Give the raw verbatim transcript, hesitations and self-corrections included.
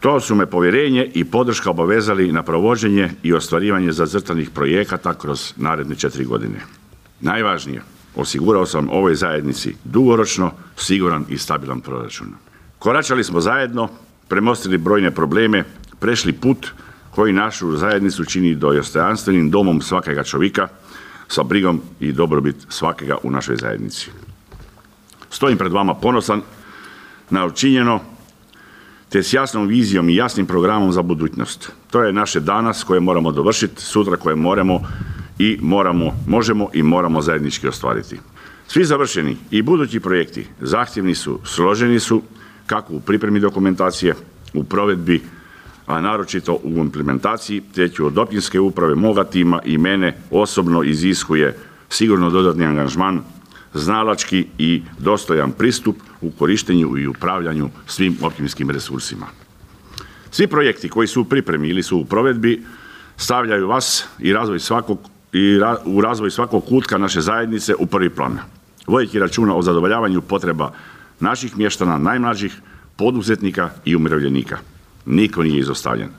To su me povjerenje i podrška obavezali na provođenje i ostvarivanje zacrtanih projekata kroz naredne četiri godine. Najvažnije, osigurao sam ovoj zajednici dugoročno siguran i stabilan proračun. Koračali smo zajedno, premostili brojne probleme, prešli put koji našu zajednicu čini dostojanstvenim domom svakega čovjeka sa brigom i dobrobit svakega u našoj zajednici. Stojim pred vama ponosan na učinjeno te s jasnom vizijom i jasnim programom za budućnost. To je naše danas koje moramo dovršiti, sutra koje moramo i moramo, možemo i moramo zajednički ostvariti. Svi završeni i budući projekti zahtjevni su, složeni su, kako u pripremi dokumentacije, u provedbi, a naročito u implementaciji, te ću od općinske uprave moga tima i mene osobno iziskuje sigurno dodatni angažman, znalački i dostojan pristup u korištenju i upravljanju svim općinskim resursima. Svi projekti koji su u pripremi ili su u provedbi stavljaju vas i razvoj svakog i ra, u razvoj svakog kutka naše zajednice u prvi plan, vodeći računa o zadovoljavanju potreba naših mještana, najmlađih, poduzetnika i umirovljenika. Niko nije izostavljen.